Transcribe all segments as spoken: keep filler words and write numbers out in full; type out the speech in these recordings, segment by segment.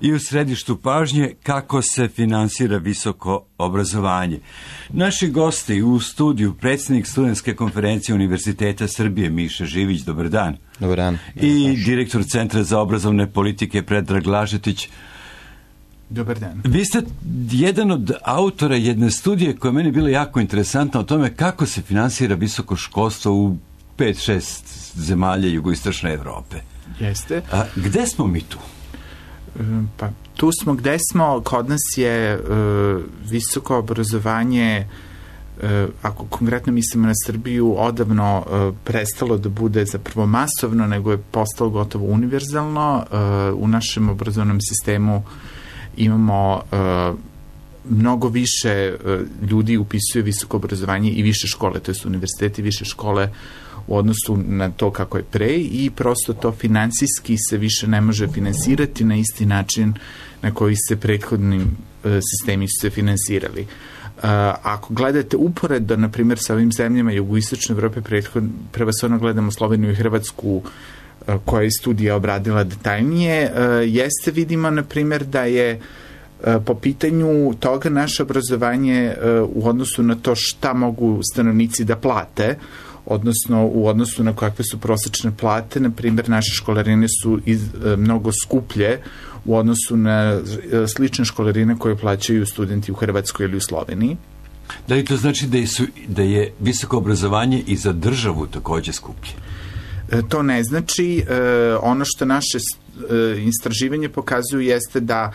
i u središtu pažnje kako se finansira visoko obrazovanje. Naši gosti u studiju, predsjednik Studentske konferencije Univerziteta Srbije Miša Živić, dobar dan. Dobar dan. I direktor Centra za obrazovne politike Predrag Lažetić. Dobar dan. Vi ste jedan od autora jedne studije koja je meni bila jako interesantna o tome kako se finansira visoko školstvo u pet šest zemalja jugoistočne Evrope. Jeste. A gde smo mi tu? Pa tu smo gde smo, kod nas je uh, visoko obrazovanje, uh, ako konkretno mislimo na Srbiju, odavno uh, prestalo da bude zapravo masovno, nego je postalo gotovo univerzalno. Uh, u našem obrazovnom sistemu imamo uh, mnogo više uh, ljudi upisuje visoko obrazovanje i više škole, to je univerziteti, više škole u odnosu na to kako je pre i prosto to finansijski se više ne može finansirati na isti način na koji se prethodnim uh, sistemi su se finansirali. Uh, ako gledate uporedo, na primjer, sa ovim zemljama jugoistočne Evrope, prevashodno gledamo Sloveniju i Hrvatsku, uh, koja je studija obradila detaljnije, uh, jeste vidimo, na primjer, da je uh, po pitanju toga naše obrazovanje uh, u odnosu na to šta mogu stanovnici da plate, odnosno u odnosu na kakve su prosečne plate, na primjer, naše školarine su iz, e, mnogo skuplje u odnosu na e, slične školarine koje plaćaju studenti u Hrvatskoj ili u Sloveniji. Da li to znači da je, su, da je visoko obrazovanje i za državu takođe skuplje? E, to ne znači. E, ono što naše e, istraživanje pokazuju jeste da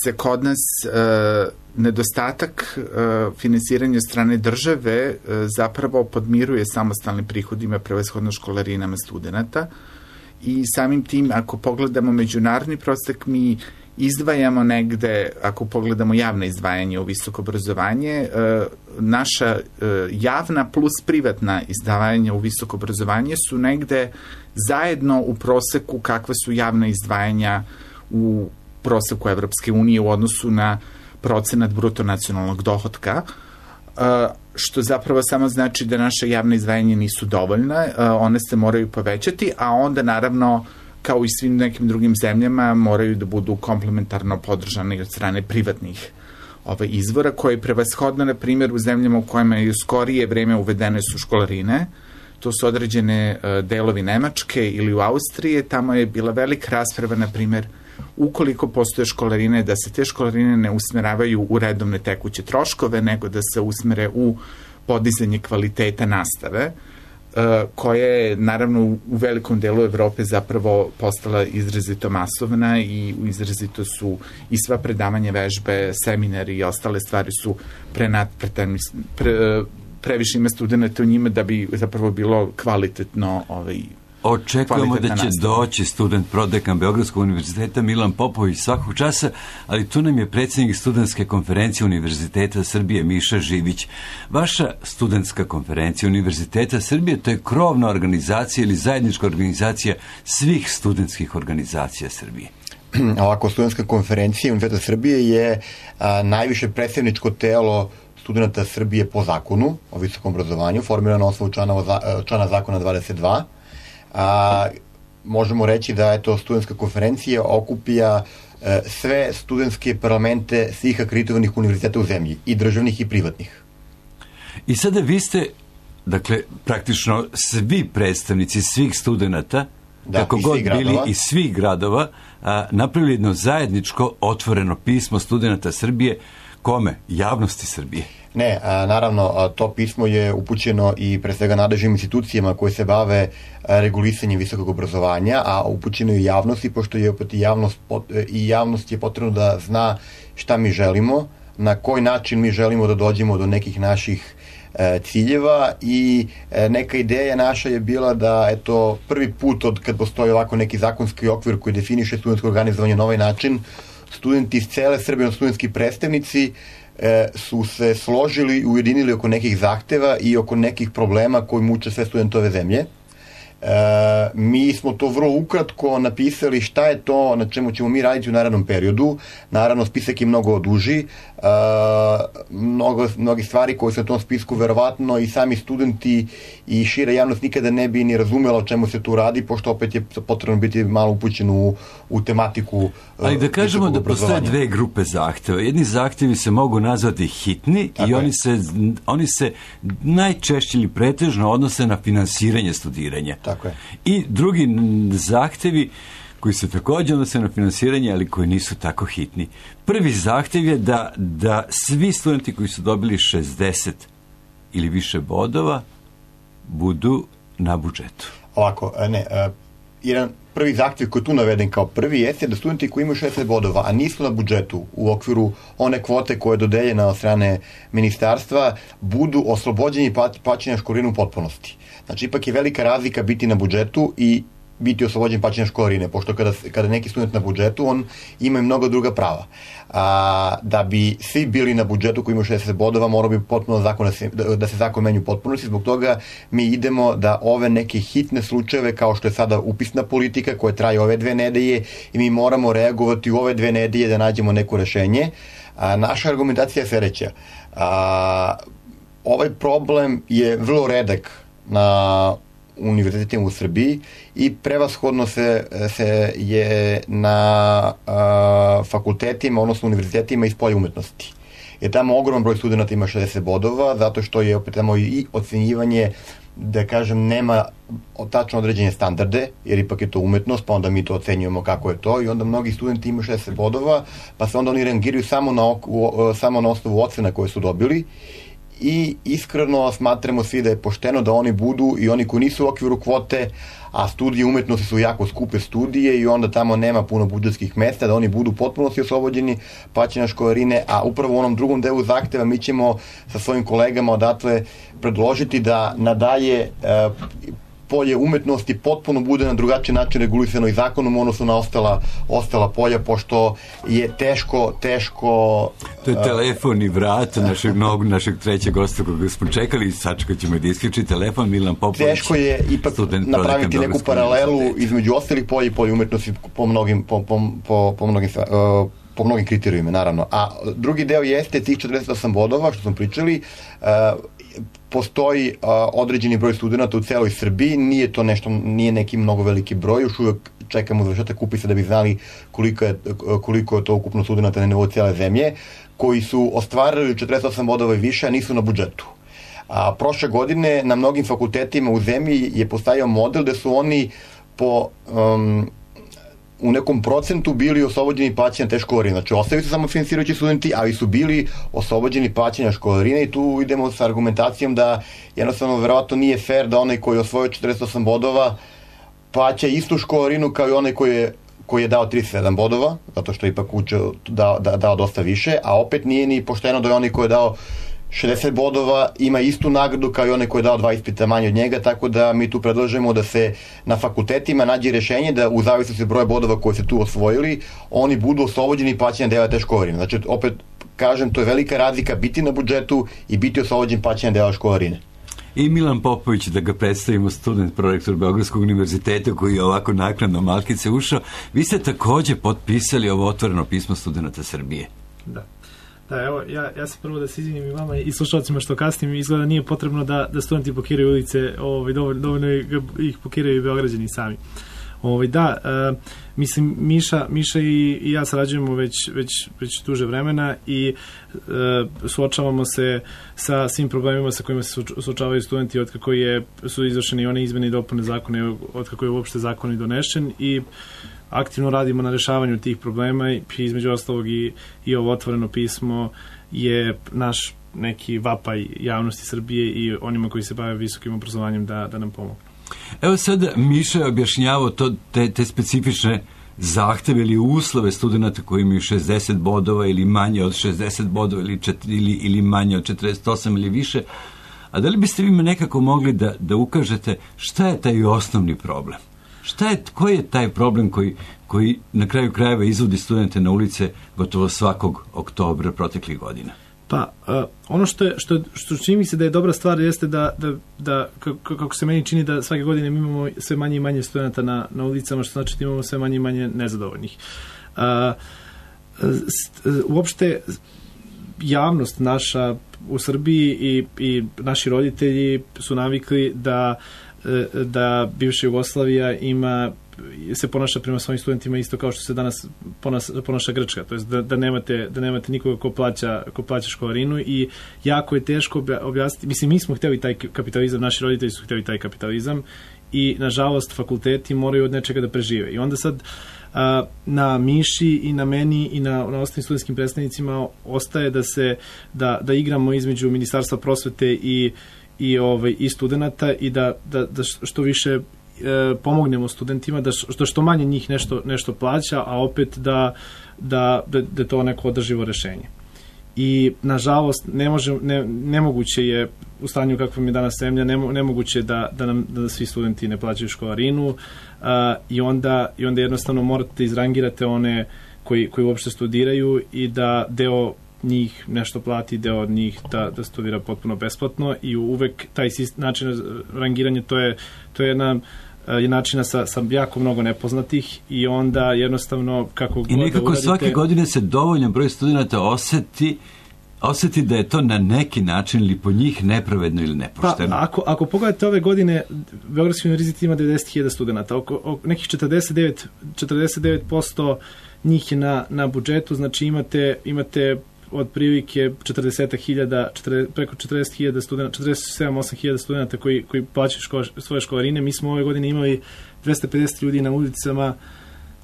se kod nas e, nedostatak uh, finansiranja strane države uh, zapravo podmiruje samostalnim prihodima, prevashodno školarinama studenta i samim tim, ako pogledamo međunarodni prosek, mi izdvajamo negde, ako pogledamo javna izdvajanja u visoko obrazovanje, uh, naša uh, javna plus privatna izdvajanja u visoko obrazovanje su negde zajedno u proseku kakva su javna izdvajanja u proseku Evropske unije u odnosu na procenat bruto nacionalnog dohotka, što zapravo samo znači da naše javne izdvajanja nisu dovoljne, one se moraju povećati, a onda naravno, kao i svim nekim drugim zemljama, moraju da budu komplementarno podržane od strane privatnih ovaj, izvora, koje prevashodno, na primjer, u zemljama u kojima je u skorije vreme uvedene su školarine, to su određene delovi Nemačke ili u Austrije, tamo je bila velika rasprava, na primjer, ukoliko postoje školarine, da se te školarine ne usmeravaju u redovne tekuće troškove, nego da se usmere u podizanje kvaliteta nastave, koja je naravno u velikom delu Evrope zapravo postala izrazito masovna i izrazito su i sva predavanja vežbe, seminari i ostale stvari su prenatpretani, pre, previše ima studenta u njima da bi zapravo bilo kvalitetno ovaj, Očekujemo da će doći student prodekan Beogradskog univerziteta Milan Popović svakog časa, ali tu nam je predsjednik Studentske konferencije Univerziteta Srbije Miša Živić. Vaša Studentska konferencija Univerziteta Srbije, to je krovna organizacija ili zajednička organizacija svih studentskih organizacija Srbije. Ovako, Studentska konferencija Univerziteta Srbije je a, najviše predstavničko telo studenta Srbije po zakonu o visokom obrazovanju, formirano na osnovu člana, člana zakona dvadeset dva. A, možemo reći da je to studentska konferencija okupija e, sve studentske parlamente svih akreditovanih univerziteta u zemlji, i državnih i privatnih. I sada vi ste, dakle, praktično svi predstavnici svih studenta, da, kako god bili iz svih gradova, a, napravili jedno zajedničko otvoreno pismo studenta Srbije. Kome? Javnosti Srbije? Ne, a, naravno, a, to pismo je upućeno i pre svega nadležnim institucijama koje se bave a, regulisanjem visokog obrazovanja, a upućeno i javnosti, pošto je opet i javnost, pot, i javnost je potrebno da zna šta mi želimo, na koji način mi želimo da dođemo do nekih naših e, ciljeva i e, neka ideja naša je bila da, eto, prvi put od kad postoji ovako neki zakonski okvir koji definiše studentsko organizovanje na ovaj način, studenti iz cele Srbije, studentski predstavnici, e, su se složili i ujedinili oko nekih zahteva i oko nekih problema koji muče sve studentove zemlje. E, mi smo to vrlo ukratko napisali šta je to na čemu ćemo mi raditi u narednom periodu. Naravno, spisak je mnogo duži. E, mnogo, mnogi stvari koje su na tom spisku verovatno i sami studenti i šira javnost nikada ne bi ni razumela o čemu se tu radi, pošto opet je potrebno biti malo upućen u, u tematiku. Ali da kažemo da postoje dve grupe zahteva. Jedni zahtevi se mogu nazvati hitni Tako i oni se, oni se najčešće ili pretežno odnose na finansiranje studiranja. Tako je. I drugi zahtevi koji se također odnose na finansiranje, ali koji nisu tako hitni. Prvi zahtev je da, da svi studenti koji su dobili šezdeset ili više bodova budu na budžetu. Ovako, ne, jedan prvi zahtjev koji je tu naveden kao prvi jeste da studenti koji imaju šezdeset bodova, a nisu na budžetu u okviru one kvote koje je dodeljena od strane ministarstva, budu oslobođeni plaćanja školarine u potpunosti. Znači, ipak je velika razlika biti na budžetu i biti oslobođen plaćanja školarine, pošto kada, kada neki student na budžetu, on ima i mnogo druga prava. A, da bi svi bili na budžetu koji imaju šezdeset bodova, mora bi potpuno zakon da se, da, da se zakon menju u potpunosti, zbog toga mi idemo da ove neke hitne slučajeve, kao što je sada upisna politika koja traje ove dve nedelje i mi moramo reagovati u ove dve nedelje da nađemo neko rešenje. A, naša argumentacija je sledeća. A, ovaj problem je vrlo redak na univerzitetima u Srbiji i prevashodno se, se je na a, fakultetima, odnosno univerzitetima iz polja umetnosti. Jer tamo ogroman broj studenta ima šezdeset bodova, zato što je opet tamo i ocenjivanje, da kažem, nema tačno određene standarde, jer ipak je to umetnost, pa onda mi to ocenjujemo kako je to i onda mnogi studenti imaju šezdeset bodova, pa se onda oni rangiraju samo na, samo na osnovu ocena koje su dobili. I iskreno smatramo svi da je pošteno da oni budu i oni koji nisu u okviru kvote, a studije umetnosti su jako skupe studije i onda tamo nema puno budžetskih mesta, da oni budu potpuno svi oslobođeni plaćanja školarine, a upravo u onom drugom delu zahteva mi ćemo sa svojim kolegama odatle predložiti da nadalje e, polje umetnosti potpuno bude na drugačiji način regulisano i zakonom, odnosno na ostala, ostala polja, pošto je teško, teško... To je telefon i vrat našeg, nog, našeg trećeg gosta koga smo čekali, sačekat ćemo da isključi telefon, Milan Popović. Teško je ipak napraviti neku paralelu između ostalih polja i polja umetnosti po mnogim, po, po, po, po mnogim uh, po mnogim kriterijima, naravno. A drugi deo jeste tih četrdeset osam bodova, što smo pričali, uh, postoji uh, određeni broj studenta u celoj Srbiji, nije to nešto, nije neki mnogo veliki broj, još uvek čekamo završetak upisa da bi znali koliko je, koliko je to ukupno studenta na nivou cijele zemlje, koji su ostvarili četrdeset osam bodova i više, a nisu na budžetu. A prošle godine na mnogim fakultetima u zemlji je postavio model da su oni po um, u nekom procentu bili oslobođeni plaćanja te školarine. Znači, ostali su samo finansirajući studenti, ali su bili oslobođeni plaćanja školarine i tu idemo sa argumentacijom da jednostavno verovatno nije fair da onaj koji je osvojio četrdeset osam bodova plaća istu školarinu kao i onaj koji je koji je dao trideset sedam bodova, zato što je ipak učio dao, da, dao dosta više, a opet nije ni pošteno da je onaj koji je dao šezdeset bodova ima istu nagradu kao i onaj koji je dao dva ispita manje od njega, tako da mi tu predlažemo da se na fakultetima nađe rešenje da u zavisnosti broja bodova koje se tu osvojili, oni budu oslobođeni plaćanja dela te školarine. Znači, opet kažem, to je velika razlika biti na budžetu i biti oslobođen plaćanja dela školarine. I Milan Popović, da ga predstavimo, student, prorektor Beogradskog univerziteta koji je ovako naknadno malkice ušao. Vi ste takođe potpisali ovo otvoreno pismo studenta Srbije. Da. Da, evo, ja, ja se prvo da se izvinim i vama i slušalcima što kasnim, izgleda nije potrebno da, da studenti pokiraju ulice, ovaj, dovoljno, dovoljno ih pokiraju i Beograđani sami. Ovaj, da, e, mislim, Miša, Miša i, i ja sarađujemo već, već, već duže vremena i e, suočavamo se sa svim problemima sa kojima se suočavaju studenti od kako je, su izvršeni one izmene i dopune zakone, od kako je uopšte zakon i donešen i aktivno radimo na rešavanju tih problema i između ostalog i, i ovo otvoreno pismo je naš neki vapaj javnosti Srbije i onima koji se bave visokim obrazovanjem da, da nam pomogu. Evo sad Miša je objašnjavao to, te, te specifične zahteve ili uslove studenta koji imaju šezdeset bodova ili manje od šezdeset bodova ili, četiri, ili, ili manje od četrdeset osam ili više. A da li biste vi me nekako mogli da, da ukažete šta je taj osnovni problem? Šta je, koji je taj problem koji, koji na kraju krajeva izvodi studente na ulice gotovo svakog oktobra proteklih godina? Pa, uh, ono što, je, što, što čini mi se da je dobra stvar jeste da, da, da kako, kako se meni čini da svake godine mi imamo sve manje i manje studenta na, na ulicama, što znači da imamo sve manje i manje nezadovoljnih. Uh, uopšte javnost naša u Srbiji i, i naši roditelji su navikli da, da bivša Jugoslavija ima se ponaša prema svojim studentima isto kao što se danas ponaša, ponaša Grčka, to jest da, da, nemate, da nemate nikoga ko plaća, ko plaća školarinu i jako je teško objasniti, mislim mi smo htjeli taj kapitalizam, naši roditelji su htjeli taj kapitalizam i nažalost fakulteti moraju od nečega da prežive i onda sad a, na Miši i na meni i na, na ostalim studentskim predstavnicima ostaje da se da, da igramo između Ministarstva prosvete i, i, ovaj, i studenta i da, da, da što više pomognemo studentima da što, što manje njih nešto, nešto plaća, a opet da, da, da, da je to neko održivo rešenje. I, nažalost, ne može, ne, nemoguće je u stanju kakvom je danas zemlja, nemo, nemoguće da, da nam da svi studenti ne plaćaju školarinu a, i, onda, i onda jednostavno morate da izrangirate one koji, koji uopšte studiraju i da deo njih nešto plati, deo od njih da, da studira potpuno besplatno i uvek taj način rangiranja to je, to je jedna je načina sa, sa jako mnogo nepoznatih i onda jednostavno kako I nekako da uradite, svake godine se dovoljan broj studenta oseti oseti da je to na neki način ili po njih nepravedno ili nepošteno. Pa, ako, ako pogledate ove godine, Beogradski univerzitet ima devedeset hiljada studenta, oko, oko nekih četrdeset devet, četrdeset devet posto njih je na, na budžetu, znači imate, imate otprilike četrdeset hiljada, preko četrdeset hiljada studenta, četrdeset sedam osam hiljada studenta koji, koji plaćaju škola, svoje školarine. Mi smo ove godine imali dvesta pedeset ljudi na ulicama.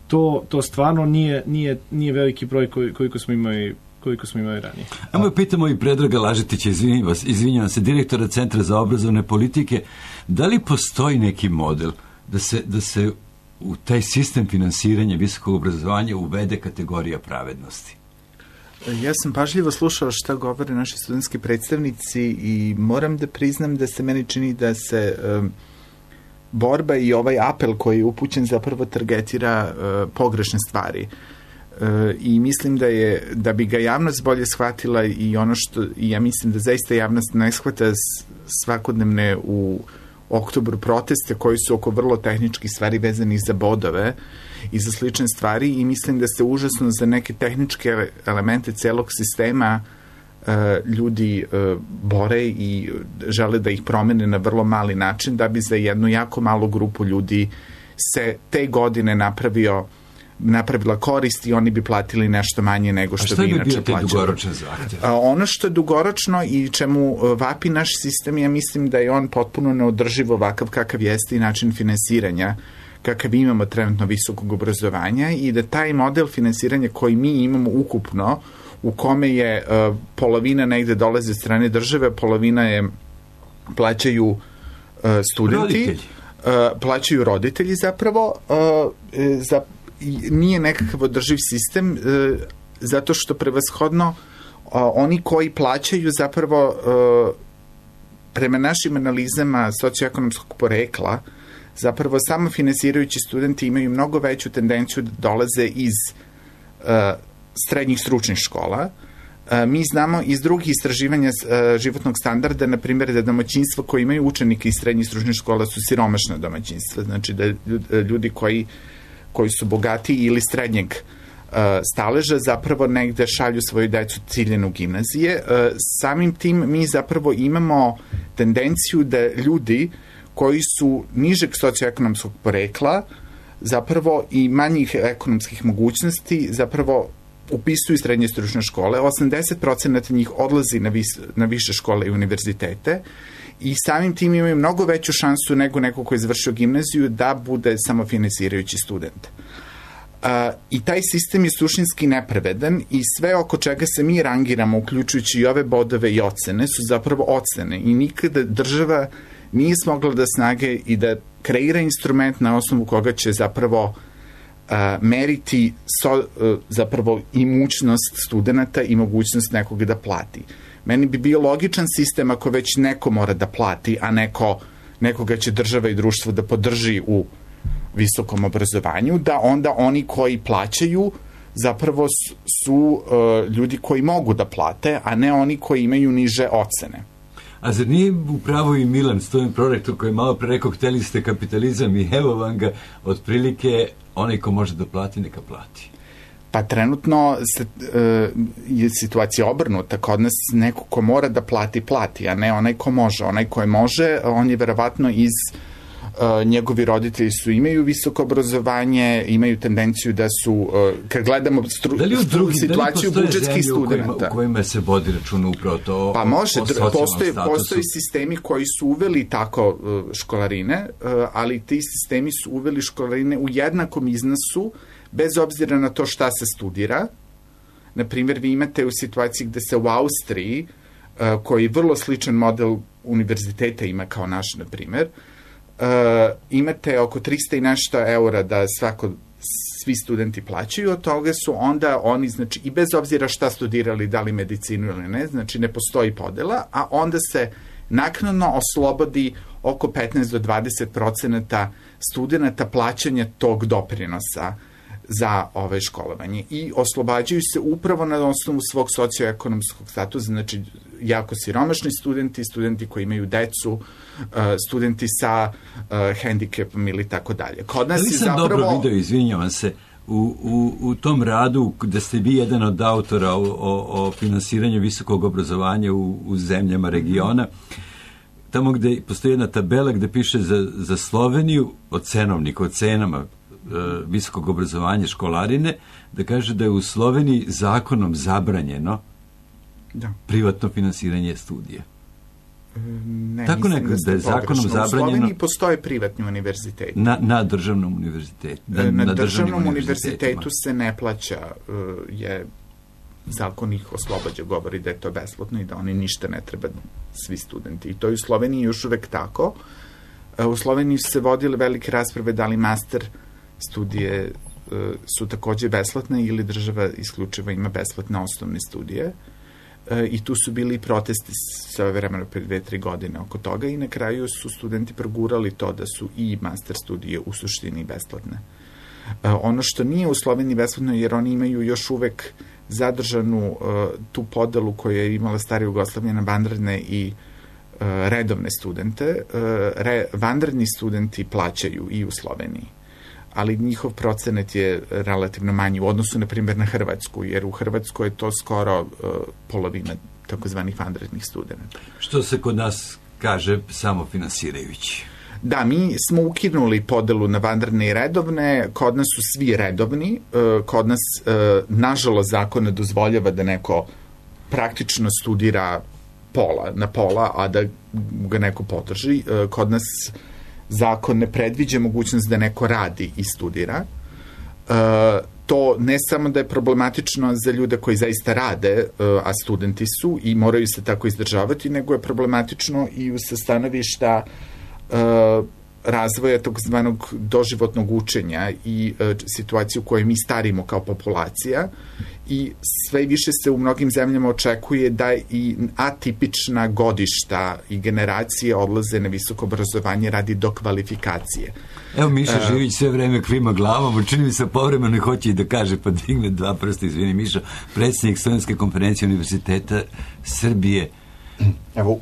To, to stvarno nije, nije, nije veliki broj koji, koliko smo imali koliko smo imali ranije. Ajmo pitamo i Predraga Lažetića, izvinjam vas, izvinjam se, direktora Centra za obrazovne politike, da li postoji neki model da se, da se u taj sistem finansiranja visokog obrazovanja uvede kategorija pravednosti? Ja sam pažljivo slušao šta govore naši studentski predstavnici i moram da priznam da se meni čini da se um, borba i ovaj apel koji je upućen zapravo targetira uh, pogrešne stvari. Uh, I mislim da je, da bi ga javnost bolje shvatila i ono što, i ja mislim da zaista javnost ne shvata svakodnevne u oktobru proteste koji su oko vrlo tehničkih stvari vezanih za bodove i za slične stvari i mislim da se užasno za neke tehničke elemente celog sistema uh, ljudi uh, bore i žele da ih promene na vrlo mali način da bi za jednu jako malu grupu ljudi se te godine napravio napravila korist i oni bi platili nešto manje nego što, što bi inače plaćali. A šta bi bio taj dugoročan zahtjev? Ono što je dugoročno i čemu vapi naš sistem, ja mislim da je on potpuno neodrživ ovakav kakav jeste i način finansiranja kakav imamo trenutno visokog obrazovanja i da taj model finansiranja koji mi imamo ukupno, u kome je uh, polovina negde dolazi od strane države, polovina je plaćaju uh, studenti, roditelji. Uh, plaćaju roditelji zapravo, uh, za nije nekakav održiv sistem e, zato što prevashodno a, oni koji plaćaju zapravo e, prema našim analizama socioekonomskog porekla zapravo samo finansirajući studenti imaju mnogo veću tendenciju da dolaze iz e, srednjih stručnih škola. E, mi znamo iz drugih istraživanja e, životnog standarda, na primjer da domaćinstva koji imaju učenike iz srednjih stručnih škola su siromašna domaćinstva, znači da ljudi koji koji su bogati ili srednjeg uh, staleža, zapravo negde šalju svoju decu ciljenu gimnazije. Uh, samim tim mi zapravo imamo tendenciju da ljudi koji su nižeg socioekonomskog porekla zapravo i manjih ekonomskih mogućnosti zapravo upisuju srednje stručne škole. osamdeset procenata njih odlazi na, vis, na više škole i univerzitete i samim tim imaju mnogo veću šansu nego neko ko je završio gimnaziju da bude samofinansirajući student. Uh, I taj sistem je suštinski nepravedan i sve oko čega se mi rangiramo, uključujući i ove bodove i ocene, su zapravo ocene i nikada država nije smogla da snage i da kreira instrument na osnovu koga će zapravo uh, meriti so, uh, zapravo imućnost studenta i mogućnost nekoga da plati. Meni bi bio logičan sistem ako već neko mora da plati, a neko, nekoga će država i društvo da podrži u visokom obrazovanju, da onda oni koji plaćaju zapravo su uh, ljudi koji mogu da plate, a ne oni koji imaju niže ocene. A zar nije upravo i Milan, student prorektor, koji je malo pre rekao, hteli ste kapitalizam i evo vam ga, otprilike onaj ko može da plati, neka plati? Pa trenutno se, e, je situacija obrnuta. Kod nas neko ko mora da plati, plati, a ne onaj ko može. Onaj ko je može, on je verovatno iz e, njegovi roditelji su imaju visoko obrazovanje, imaju tendenciju da su, e, kad gledamo stru, da li u drugi, situaciju da li budžetskih studenta. U kojima, u kojima se vodi računa upravo to pa može, o, o postoji, postoji sistemi koji su uveli tako školarine, ali ti sistemi su uveli školarine u jednakom iznosu, bez obzira na to šta se studira. Na primjer, vi imate u situaciji gde se u Austriji, koji je vrlo sličan model univerziteta ima kao naš, na primjer, imate oko tristo i nešto eura da svako, svi studenti plaćaju, od toga su onda oni, znači, i bez obzira šta studirali, da li medicinu ili ne, znači ne postoji podela, a onda se naknadno oslobodi oko petnaest do dvadeset procenata studenta plaćanja tog doprinosa za ove školovanje i oslobađaju se upravo na osnovu svog socioekonomskog statusa, znači jako siromašni studenti, studenti koji imaju decu, studenti sa hendikepom ili tako dalje. Kod nas je zapravo... dobro video, izvinjavam se, u, u, u tom radu gde ste vi jedan od autora o, o, o finansiranju visokog obrazovanja u, u zemljama regiona, tamo gde postoji jedna tabela gde piše za, za Sloveniju od cenovnika, od cenama visokog obrazovanja, školarine, da kaže da je u Sloveniji zakonom zabranjeno da. privatno finansiranje studija. Ne, tako mislim neko, da je zakonom zabranjeno... U Sloveniji postoje privatni univerziteti. Na, na državnom univerzitetu. Da, na, na državnom univerzitetu se ne plaća, je zakon ih oslobađa, govori da je to besplatno i da oni ništa ne treba, svi studenti. I to je u Sloveniji još uvek tako. U Sloveniji su se vodile velike rasprave da li master studije uh, su takođe besplatne ili država isključiva ima besplatne osnovne studije uh, i tu su bili protesti sve vremena pre dve, tri godine oko toga i na kraju su studenti progurali to da su i master studije u suštini besplatne. Uh, ono što nije u Sloveniji besplatno, jer oni imaju još uvek zadržanu uh, tu podelu koju je imala stara Jugoslavija na vanredne i uh, redovne studente. Uh, re, vanredni studenti plaćaju i u Sloveniji, ali njihov procenat je relativno manji u odnosu, na primjer, na Hrvatsku, jer u Hrvatskoj je to skoro uh, polovina takozvanih vanrednih studenta. Što se kod nas kaže samofinansirajući. Da, mi smo ukinuli podelu na vanredne i redovne, kod nas su svi redovni, uh, kod nas, uh, nažalost, zakon ne dozvoljava da neko praktično studira pola, na pola, a da ga neko podrži. Uh, kod nas zakon ne predviđa mogućnost da neko radi i studira. E, to ne samo da je problematično za ljude koji zaista rade, e, a studenti su i moraju se tako izdržavati, nego je problematično i sa stanovišta e, razvoja takozvanog doživotnog učenja i e, situaciju u kojoj mi starimo kao populacija i sve više se u mnogim zemljama očekuje da i atipična godišta i generacije odlaze na visoko obrazovanje radi dokvalifikacije. Evo Miša uh, Živić sve vreme klima glavom, čini mi se povremeno hoće i da kaže, pa digne dva prsta, izvini Miša, predsjednik Studentske konferencije Univerziteta Srbije. Evo,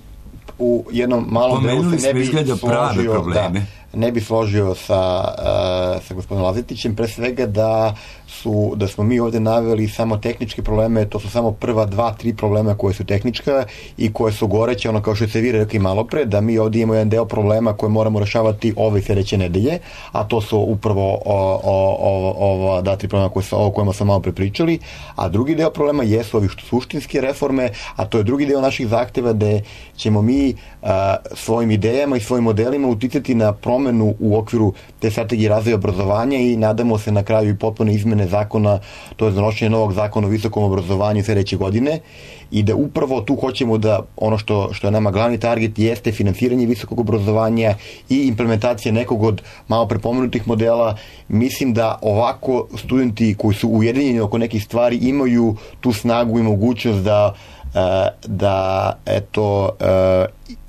u jednom malom delu se ne bi složio, da, ne bi složio sa, uh, sa gospodinom Lazetićem, pre svega da su, da smo mi ovde naveli samo tehničke probleme, to su samo prva dva, tri problema koje su tehnička i koje su goreće, ono kao što se vi rekli malo pre, da mi ovde imamo jedan deo problema koje moramo rešavati ove sljedeće nedelje, a to su upravo o, o, o, ova dva, tri problema koje su, o kojima sam malo prepričali, a drugi deo problema jesu ovi suštinske reforme, a to je drugi deo naših zahteva gde ćemo mi a, svojim idejama i svojim modelima uticati na promenu u okviru te strategije razvoja obrazovanja i nadamo se na kraju i potpuno izmene zakona, to je donošenje novog zakona o visokom obrazovanju sljedeće godine i da upravo tu hoćemo da ono što, što je nama glavni target jeste finansiranje visokog obrazovanja i implementacija nekog od malo prepomenutih modela. Mislim da ovako studenti koji su ujedinjeni oko nekih stvari imaju tu snagu i mogućnost da da eto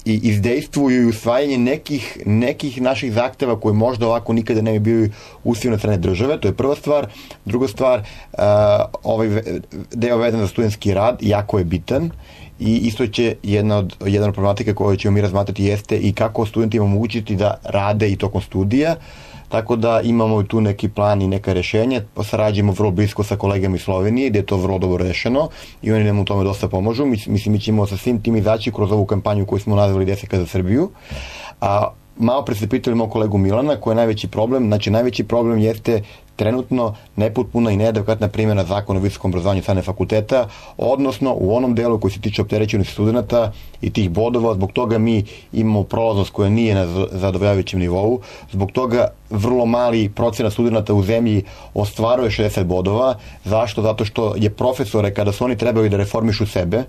i izdejstvuju i usvajanje nekih, nekih naših zahteva koji možda ovako nikada ne bi bili usvojeni od strane države, to je prva stvar. Druga stvar, uh, ovaj deo vezan za studentski rad jako je bitan i isto će jedna od, jedna od problematika koju ćemo mi razmatrati jeste i kako studentima omogućiti da rade i tokom studija. Tako da imamo tu neki plan i neka rešenja, sarađujemo vrlo blisko sa kolegama iz Slovenije, gde je to vrlo dobro rešeno i oni nam u tome dosta pomažu. Mislim, mi ćemo sa svim tim izaći kroz ovu kampanju koju smo nazvali Deseka za Srbiju. A malo pre ste pitali moj kolegu Milana, koji je najveći problem. Znači, najveći problem jeste trenutno nepotpuna i neadekvatna primjena zakona o visokom obrazovanju strane fakulteta, odnosno u onom delu koji se tiče opterećenosti studenta i tih bodova, zbog toga mi imamo prolaznost koja nije na zadovoljavajućem nivou, zbog toga vrlo mali procenat studenta u zemlji ostvaruje šezdeset bodova. Zašto? Zato što je profesore, kada su oni trebali da reformišu sebe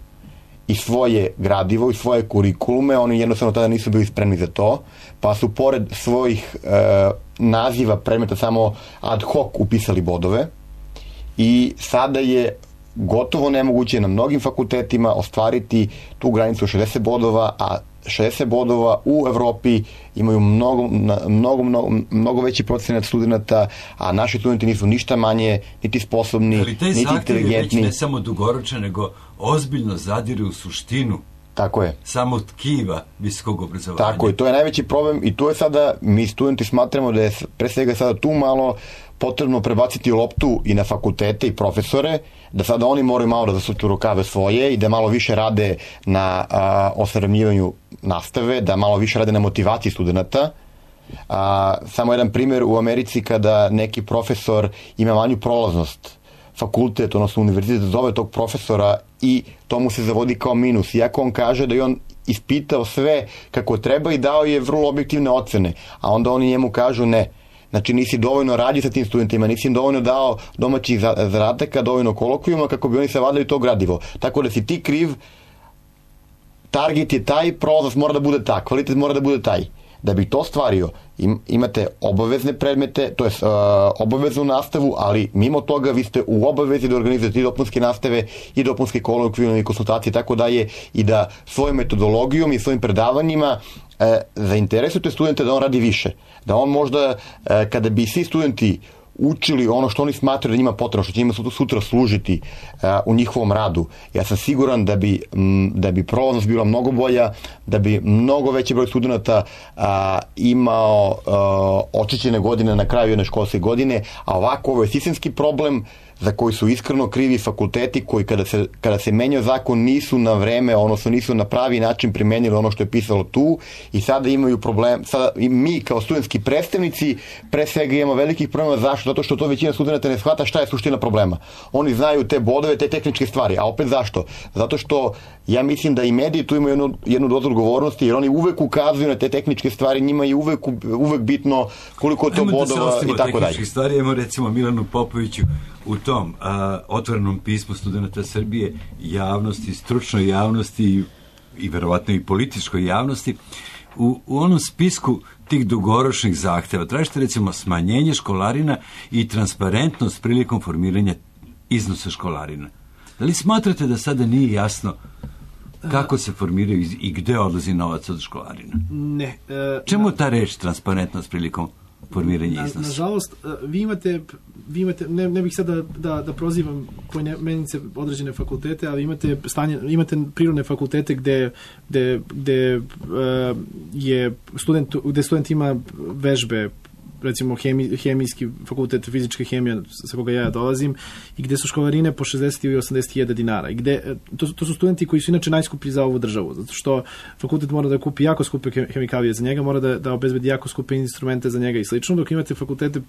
i svoje gradivo i svoje kurikulume, oni jednostavno tada nisu bili spremni za to, pa su pored svojih e, naziva predmeta samo ad hoc upisali bodove i sada je gotovo nemoguće na mnogim fakultetima ostvariti tu granicu šezdeset bodova, a šezdeset bodova u Evropi imaju mnogo, mnogo, mnogo, mnogo veći procenat studenta, a naši studenti nisu ništa manje, niti sposobni, niti inteligentni. Ali taj zahtjev je već ne samo dugoročan, nego ozbiljno zadire u suštinu. Tako je. Samo tkiva visokog obrazovanja. Tako je, to je najveći problem i tu je sada, mi studenti smatramo da je pre svega sada tu malo potrebno prebaciti loptu i na fakultete i profesore, da sada oni moraju malo da zasuču rukave svoje i da malo više rade na osavremenjivanju nastave, da malo više rade na motivaciji studenta. A, samo jedan primjer, u Americi kada neki profesor ima manju prolaznost, fakultet, odnosno univerzitet zove tog profesora i to mu se zavodi kao minus. Iako on kaže da je on ispitao sve kako treba i dao je vrlo objektivne ocene, a onda oni njemu kažu ne. Znači nisi dovoljno radio sa tim studentima, nisi im dovoljno dao domaćih zadataka, dovoljno kolokvijuma kako bi oni savladali to gradivo. Tako da si ti kriv, target je taj, prolaznost mora da bude ta, kvalitet mora da bude taj. Da bi to stvario, im, imate obavezne predmete, to je uh, obaveznu nastavu, ali mimo toga vi ste u obavezi da organizujete i dopunske nastave i dopunske kolokvijume i konsultacije, tako da je i da svojom metodologijom i svojim predavanjima uh, zainteresujete studente da on radi više. Da on možda, uh, kada bi svi studenti učili ono što oni smatraju da njima potrebno, što će njima sutra služiti uh, u njihovom radu. Ja sam siguran da bi, m, da bi prolaznost bila mnogo bolja, da bi mnogo veći broj studenta uh, imao uh, očišćene godine na kraju jedne školske godine, a ovako ovo je sistemski problem za koji su iskreno krivi fakulteti koji kada se, kada se menjao zakon nisu na vreme, odnosno nisu na pravi način primenili ono što je pisalo tu i sada imaju problem, sada i mi kao studentski predstavnici pre svega imamo velikih problema. Zašto? Zato što to većina studenta ne shvata šta je suština problema. Oni znaju te bodove, te tehničke stvari, a opet zašto? Zato što ja mislim da i mediji tu imaju jednu, jednu dozu odgovornosti, jer oni uvek ukazuju na te tehničke stvari, njima je uvek, uvek bitno koliko je to bodova i tako dalje. Ajmo da se tehničkih stvari, imamo recimo Milanu Popoviću u tom a, otvorenom pismu studenta Srbije javnosti, stručnoj javnosti i, i verovatno i političkoj javnosti, u, u onom spisku tih dugoročnih zahteva tražite recimo smanjenje školarina i transparentnost prilikom formiranja iznosa školarina. Da li smatrate da sada nije jasno kako se formiraju i gde odlazi novac od školarina? Ne. E, Čemu ta reč transparentnost prilikom formiranja iznosa? Na, nažalost, vi imate, vi imate ne, ne bih sad da, da, da prozivam poimenice određene fakultete, ali imate stanje, imate prirodne fakultete gde, gde, gde uh, je student, gde student ima vežbe, recimo hemi, hemijski fakultet, fizička hemija sa koga ja dolazim, i gde su školarine po šezdeset ili osamdeset hiljada dinara. I gde, to, to su studenti koji su inače najskuplji za ovu državu, zato što fakultet mora da kupi jako skupe hemikalije za njega, mora da, da obezbedi jako skupe instrumente za njega i slično, dok imate fakultete uh,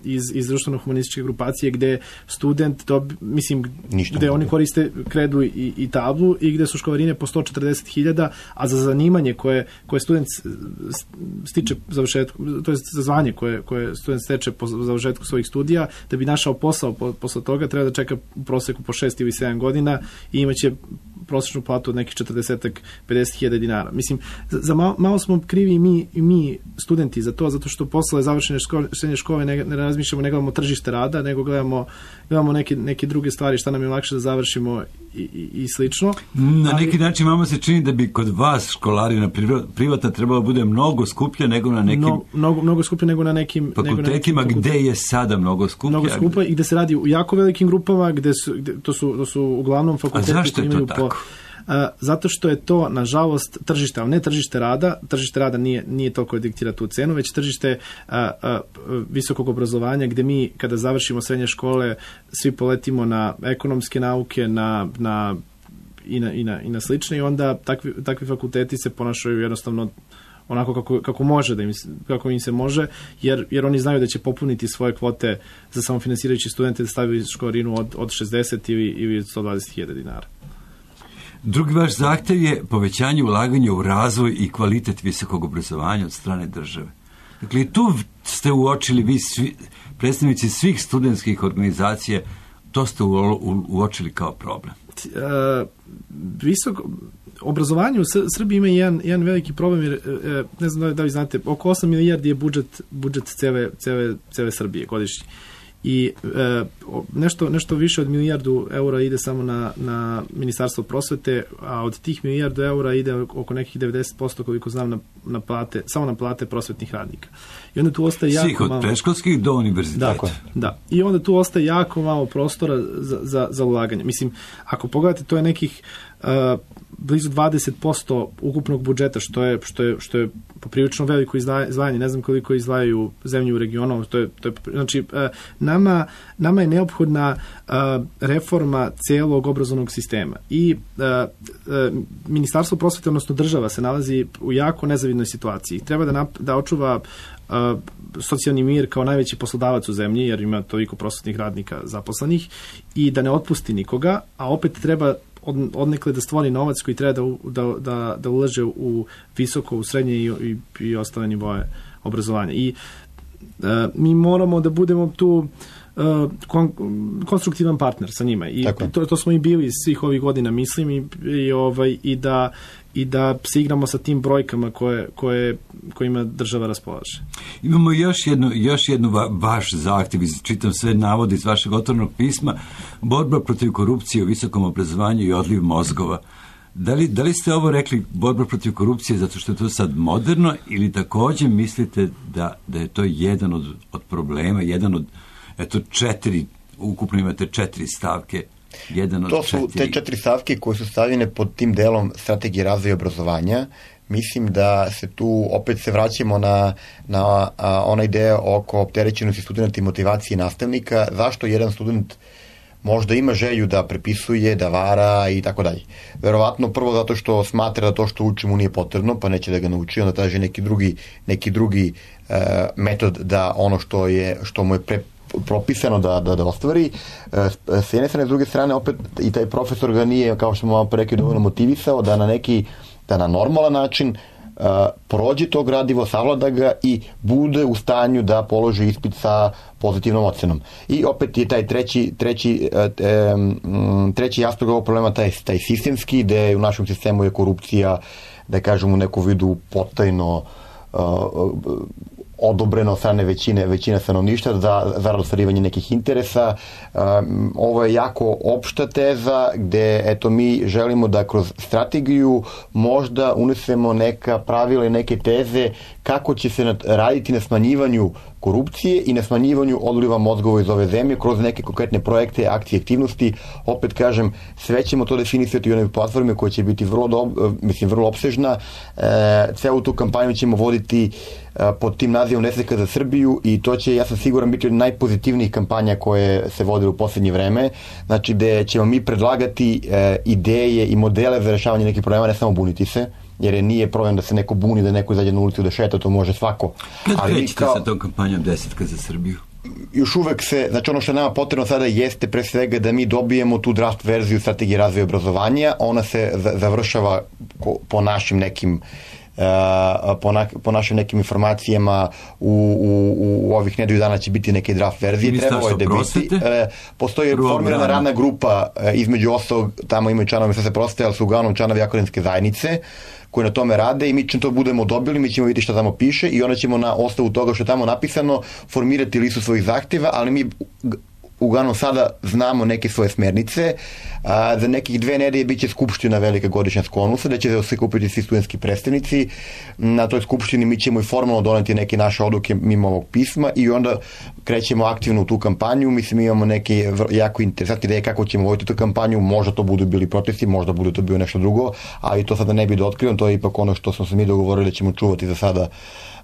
iz, iz društveno-humanističke grupacije gde student, to, mislim, Ništa gde oni koriste kredu i, i tablu i gde su školarine po sto četrdeset hiljada, a za zanimanje koje, koje student stiče završetku, to je za zvanje koje, koje student steče po završetku svojih studija, da bi našao posao po, posle toga treba da čeka u proseku po šest ili sedam godina i imaće prosječnu platu od nekih četrdeset do pedeset hiljada dinara. Mislim, za, za malo, malo smo krivi i mi, i mi studenti za to, zato što posle završene škole, srednje škole ne, ne razmišljamo, ne gledamo tržište rada, nego gledamo, gledamo neke, neke druge stvari, šta nam je lakše da završimo i, i, i slično. Na neki Ali, način vama se čini da bi kod vas školarina privata trebalo bude mnogo skuplja nego na nekim mnogo, mnogo, mnogo skuplja nego na nekim fakultetima, nego na nekim gde je sada mnogo skuplja. Mnogo skuplja i gde se radi u jako velikim grupama, gde su, gde, to, su, to su uglavnom fakulteti. A zašto je to tako? Po, a, zato što je to, nažalost, tržište, ali ne tržište rada, tržište rada nije, nije toliko diktira tu cenu, već tržište a, a, visokog obrazovanja, gde mi, kada završimo srednje škole, svi poletimo na ekonomske nauke, na, na, i, na, i, na, i na slične, i onda takvi, takvi fakulteti se ponašaju jednostavno onako kako, kako može da im, kako im se može, jer, jer oni znaju da će popuniti svoje kvote za samofinansirajući studente da stavili školarinu od, od šezdeset ili, ili sto dvadeset hiljada dinara. Drugi vaš zahtev je povećanje ulaganja u razvoj i kvalitet visokog obrazovanja od strane države. Dakle, tu ste uočili vi svi, predstavnici svih studentskih organizacija, to ste u, u, uočili kao problem. Uh, visoko obrazovanje u Srbiji ima jedan, jedan veliki problem, jer ne znam da li znate, oko osam milijardi je budžet, budžet cele, cele, cele Srbije godišnji. I e, nešto, nešto više od milijardu eura ide samo na, na Ministarstvo prosvete, a od tih milijardu eura ide oko nekih devedeset posto, koliko znam, na, na plate, samo na plate prosvetnih radnika. I onda tu ostaje jako Svih od malo... predškolskih do univerziteta. Dakle, da. I onda tu ostaje jako malo prostora za, za, za ulaganje. Mislim, ako pogledate, to je nekih uh, blizu dvadeset posto ukupnog budžeta, što je, što je, što je poprilično veliko izdvajanje. Ne znam koliko izdvajaju zemlje u regionu. To je, to je, znači, uh, nama, nama je neophodna uh, reforma celog obrazovnog sistema. I uh, uh, Ministarstvo prosvete, odnosno država, se nalazi u jako nezavidnoj situaciji. Treba da, nap, da očuva uh, socijalni mir kao najveći poslodavac u zemlji, jer ima toliko prosvetnih radnika zaposlenih, i da ne otpusti nikoga, a opet treba od, odnekle da stvori novac koji treba da, da, da, da ulaže u visoko, u srednje i, i, i ostale nivoje obrazovanja. I uh, mi moramo da budemo tu uh, kon, konstruktivan partner sa njima. I to, to smo i bili svih ovih godina, mislim, i, i, ovaj, i da i da se igramo sa tim brojkama koje, koje, kojima država raspolaže. Imamo još jednu, još jednu va, vaš zahtjev, čitam sve navode iz vašeg otvorenog pisma, borba protiv korupcije u visokom obrazovanju i odliv mozgova. Da li, da li ste ovo rekli borba protiv korupcije zato što je to sad moderno, ili također mislite da, da je to jedan od, od problema, jedan od, eto, četiri, ukupno imate četiri stavke. To su četiri. Te četiri stavke koje su stavljene pod tim delom strategije razvoja obrazovanja. Mislim da se tu opet se vraćamo na, na a, onaj deo oko opterećenosti studenta i motivacije nastavnika. Zašto jedan student možda ima želju da prepisuje, da vara i tako dalje. Verovatno prvo zato što smatra da to što uči mu nije potrebno, pa neće da ga nauči, onda traži neki drugi, neki drugi uh, metod da ono što, je, što mu je pre propisano da, da, da ostvari. S jedne strane, s druge strane, opet i taj profesor ga nije, kao što smo malo rekli, dovoljno motivisao da na neki, da na normalan način uh, prođe to gradivo, savlada ga i bude u stanju da položi ispit sa pozitivnom ocenom. I opet je taj treći, treći, um, treći aspekt ovog problema, taj, taj sistemski, gde u našem sistemu je korupcija, da kažem, u neku vidu potajno uh, odobreno od strane većine, većine stanovništva za, za ostvarivanje nekih interesa. Um, ovo je jako opšta teza gde eto, mi želimo da kroz strategiju možda unesemo neka pravila i neke teze kako će se raditi na smanjivanju korupcije i na smanjivanju odliva mozgova iz ove zemlje kroz neke konkretne projekte, akcije, aktivnosti. Opet kažem, sve ćemo to definisati u onoj platformi koja će biti vrlo, do, mislim, vrlo opsežna. E, celu tu kampanju ćemo voditi e, pod tim nazivom Nesreća za Srbiju i to će, ja sam siguran, biti od najpozitivnijih kampanja koje se vode u poslednje vreme. Znači, gde ćemo mi predlagati e, ideje i modele za rešavanje nekih problema, ne samo buniti se, jer je nije problem da se neko buni, da neko izađe na ulicu da šeta, to može svako. Kad krećete kao, sa tom kampanjom Desetka za Srbiju? Još uvek se, znači ono što nama potrebno sada jeste pre svega da mi dobijemo tu draft verziju strategije razvoja obrazovanja, ona se završava po našim nekim po, na, po našim nekim informacijama u, u, u ovih nedelju dana će biti neke draft verzije. Trebalo je da biti. Postoji formirana radna grupa, između ostalog, tamo imaju članovi Ministarstva prosvete, ali su uglavnom članovi akademske zajednice koji na tome rade i mi ćemo to budemo dobili, mi ćemo vidjeti šta tamo piše i onda ćemo na osnovu toga što je tamo napisano formirati listu svojih zahtjeva, ali mi uglavnom sada znamo neke svoje smernice. A, za nekih dve nedelje biće skupština velika godišnja Skonusa, da će se kupiti svi studentski predstavnici. Na toj skupštini mi ćemo i formalno doneti neke naše odluke mimo ovog pisma i onda krećemo aktivno u tu kampanju. Mislim, imamo neke jako interesantne ideje kako ćemo voditi tu kampanju. Možda to budu bili protesti, možda budu to bio nešto drugo, ali to sada ne bi da otkrivam. To je ipak ono što smo se mi dogovorili da ćemo čuvati za sada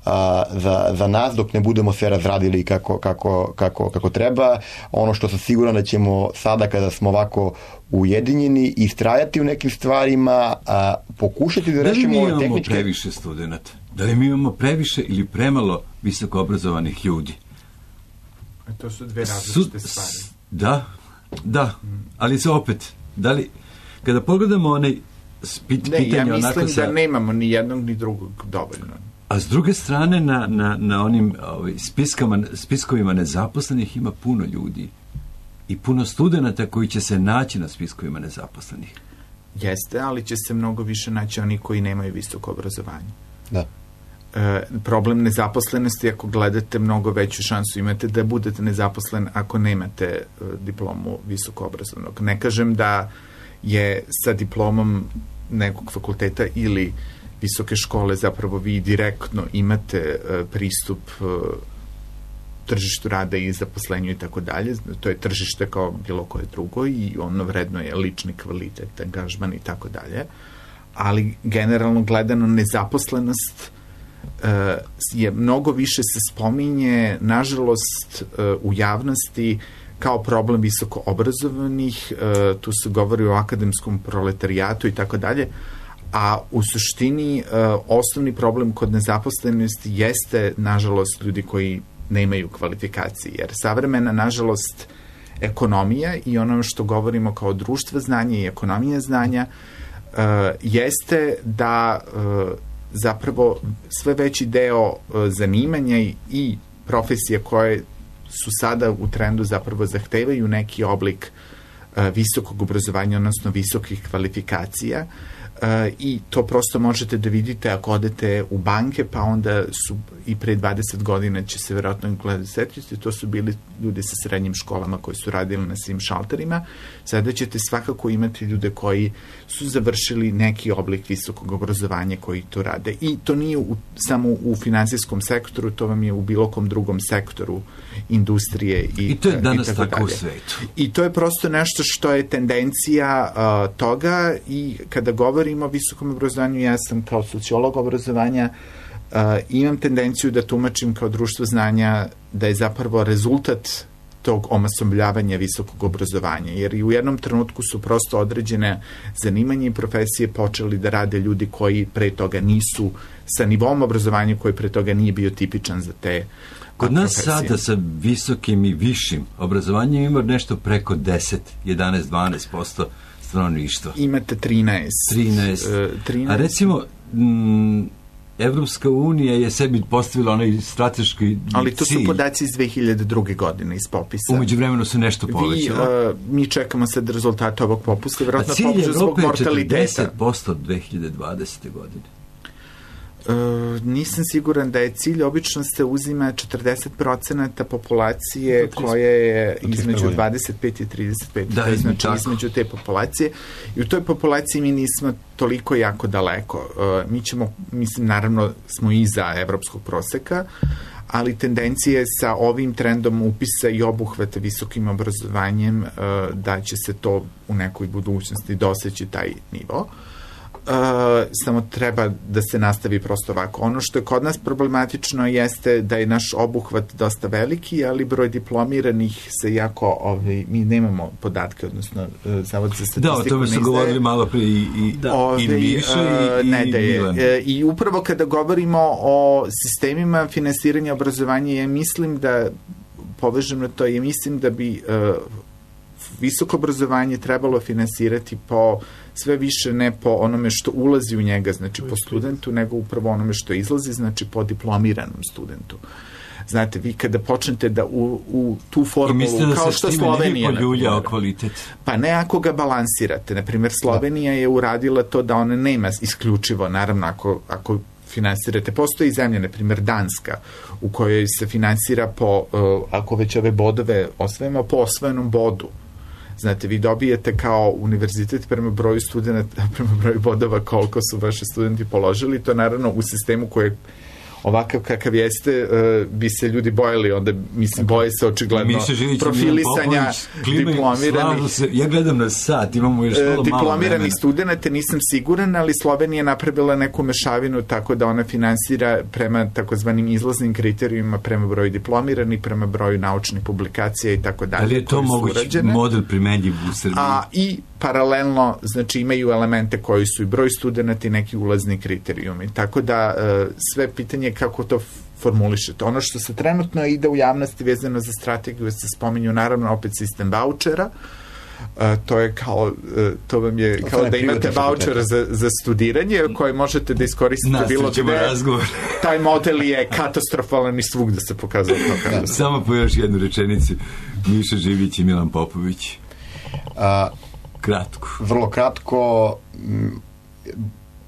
A, za, za nas, dok ne budemo sve razradili kako, kako, kako, kako treba. Ono što sam siguran da ćemo sada kada smo ovako ujedinjeni istrajati u nekim stvarima, a, pokušati da rešimo ove tehničke... Da li mi imamo previše studenta? Da li mi imamo previše ili premalo visoko obrazovanih ljudi? A to su dve različite stvari. Da, da, ali se opet, da li, kada pogledamo onaj pit, ne, pitanje... Ne, ja mislim sa... da nemamo ni jednog ni drugog dovoljno. A s druge strane, na, na, na onim ovaj, spiskama, spiskovima nezaposlenih ima puno ljudi i puno studenta koji će se naći na spiskovima nezaposlenih. Jeste, ali će se mnogo više naći oni koji nemaju visoko obrazovanje. Da. E, problem nezaposlenosti, ako gledate, mnogo veću šansu imate da budete nezaposlen ako nemate e, diplomu visoko obrazovnog. Ne kažem da je sa diplomom nekog fakulteta ili visoke škole zapravo vi direktno imate uh, pristup uh, tržištu rada i zaposlenju i tako dalje. To je tržište kao bilo koje drugo i ono vredno je lični kvalitet, angažman i tako dalje. Ali generalno gledano nezaposlenost uh, je mnogo više se spominje, nažalost, uh, u javnosti kao problem visoko obrazovanih, uh, tu se govori o akademskom proletarijatu i tako dalje, a u suštini uh, osnovni problem kod nezaposlenosti jeste, nažalost, ljudi koji nemaju kvalifikacije, jer savremena, nažalost, ekonomija i ono što govorimo kao društvo znanja i ekonomija znanja uh, jeste da uh, zapravo sve veći deo uh, zanimanja i, i profesije koje su sada u trendu zapravo zahtevaju neki oblik uh, visokog obrazovanja, odnosno visokih kvalifikacija. Uh, i to prosto možete da vidite ako odete u banke, pa onda su i pre dvadeset godina će se verovatno gledati setiti, to su bili ljudi sa srednjim školama koji su radili na svim šalterima. Sada ćete svakako imati ljude koji su završili neki oblik visokog obrazovanja koji to rade. I to nije u, samo u finansijskom sektoru, to vam je u bilo kom drugom sektoru industrije i, I to je danas i tako, tako u svetu. I to je prosto nešto što je tendencija uh, toga i kada govorimo o visokom obrazovanju, ja sam kao sociolog obrazovanja, uh, imam tendenciju da tumačim kao društvo znanja da je zapravo rezultat tog omasovljavanja visokog obrazovanja, jer i u jednom trenutku su prosto određene zanimanje i profesije počeli da rade ljudi koji pre toga nisu sa nivom obrazovanja koji pre toga nije bio tipičan za te Kod nas profesije. sada sa visokim i višim obrazovanjem ima nešto preko deset, jedanaest, dvanaest posto stanovništva. Imate trinaest. trinaest. trinaest. A recimo, m, Evropska unija je sebi postavila onaj strateški cilj. Ali to su podaci iz dve hiljade druge. godine iz popisa. Umeđu vremenu se nešto povećalo. Vi, uh, mi čekamo sad rezultate ovog popusta, vjerojatno popisa zbog mortaliteta. A cilj Evrope je četrdeset posto dve hiljade dvadesete. godine. Uh, nisam siguran da je cilj, obično se uzima četrdeset procenata populacije koja je između dvadeset pet i trideset pet, da, to znači tako. Između te populacije i u toj populaciji mi nismo toliko jako daleko. Uh, mi ćemo, mislim, naravno smo iza evropskog proseka, ali tendencija je sa ovim trendom upisa i obuhvata visokim obrazovanjem uh, da će se to u nekoj budućnosti doseći taj nivo. Uh, samo treba da se nastavi prosto ovako. Ono što je kod nas problematično jeste da je naš obuhvat dosta veliki, ali broj diplomiranih se jako, ovaj, mi nemamo podatke, odnosno uh, Zavod za statistiku. Da, o tome su govorili malo pre i, i, da. Ove, i Miša i, ne i da je, Milan. I upravo kada govorimo o sistemima finansiranja obrazovanja, ja mislim da, povežem na to, ja mislim da bi uh, visoko obrazovanje trebalo finansirati po sve više ne po onome što ulazi u njega, znači po studentu, nego upravo onome što izlazi, znači po diplomiranom studentu. Znate, vi kada počnete da u, u tu formulu, da kao što Slovenija... Poljuljao kvalitet. Pa ne ako ga balansirate. Naprimjer, Slovenija je uradila to da ona nema isključivo, naravno, ako, ako finansirate. Postoji zemlja, na primjer Danska, u kojoj se finansira po, uh, ako već ove bodove osvojimo, po osvojenom bodu. Znate, vi dobijete kao univerzitet prema broju studenta, prema broju bodova koliko su vaši studenti položili. To naravno u sistemu koje ovakav kakav jeste, uh, bi se ljudi bojali, onda, mislim, boje se očigledno profilisanja diplomiranih. Se, ja gledam na sat, imamo još malo diplomiranih studenta, nisam siguran, ali Slovenija je napravila neku mešavinu tako da ona finansira prema takozvanim izlaznim kriterijima, prema broju diplomiranih, prema broju naučnih publikacija i tako dalje. Ali je to mogući model primenjiv u Srbiji? A, i paralelno, znači, imaju elemente koji su i broj studenta i neki ulazni kriterijumi. Tako da uh, sve pitanje kako to formulišete. Ono što se trenutno ide u javnosti vezano za strategiju, se spominju naravno opet sistem vouchera. Uh, to je kao, uh, to vam je to kao da imate voucher za, za studiranje koji možete da iskoristite bilo gde. Razgovor. Taj model je katastrofalan i svugde se pokazao to kako. Samo po još jednu rečenicu. Miša Živić i Milan Popović. A, kratko. Vrlo kratko.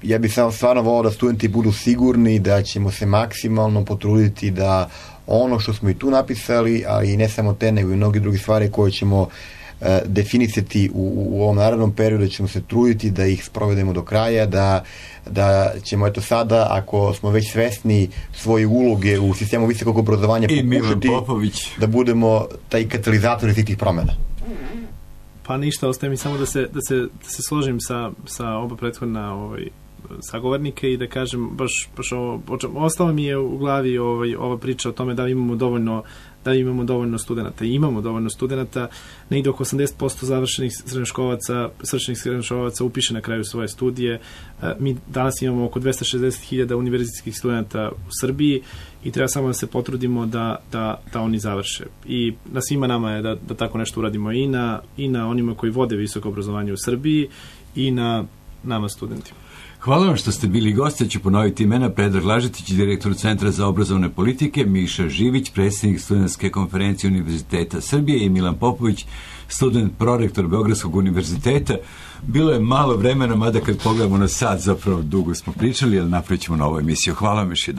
Ja bih samo stvarno volao da studenti budu sigurni da ćemo se maksimalno potruditi da ono što smo i tu napisali, a i ne samo te, nego i mnogi drugi stvari koje ćemo e, definisati u, u ovom narednom periodu, da ćemo se truditi da ih sprovedemo do kraja, da, da ćemo eto sada, ako smo već svesni svoje uloge u sistemu visokog obrazovanja, pokušati da budemo taj katalizator svih tih promjena. Pa ništa, ostaje mi samo da se, da se, da se složim sa, sa oba prethodna ovaj, sagovornike i da kažem baš, baš ovo, ostalo mi je u glavi ovaj, ova priča o tome da imamo dovoljno da imamo dovoljno studenata. I imamo dovoljno studenata, negdje oko osamdeset posto završenih srednjoškolaca, svršenih srednjoškolaca upiše na kraju svoje studije. Mi danas imamo oko dvesta šezdeset hiljada univerzitetskih studenta u Srbiji i treba samo da se potrudimo da, da, da oni završe. I na svima nama je da, da tako nešto uradimo i na, i na onima koji vode visoko obrazovanje u Srbiji i na nama studentima. Hvala vam što ste bili gosti, ja ću ponoviti imena: Predrag Lažetić, direktor Centra za obrazovne politike, Miša Živić, predsjednik Studentske konferencije Univerziteta Srbije, i Milan Popović, student prorektor Beogradskog univerziteta. Bilo je malo vremena, mada kad pogledamo na sat, zapravo dugo smo pričali, ali napravit ćemo novu emisiju. Hvala vam još jedan.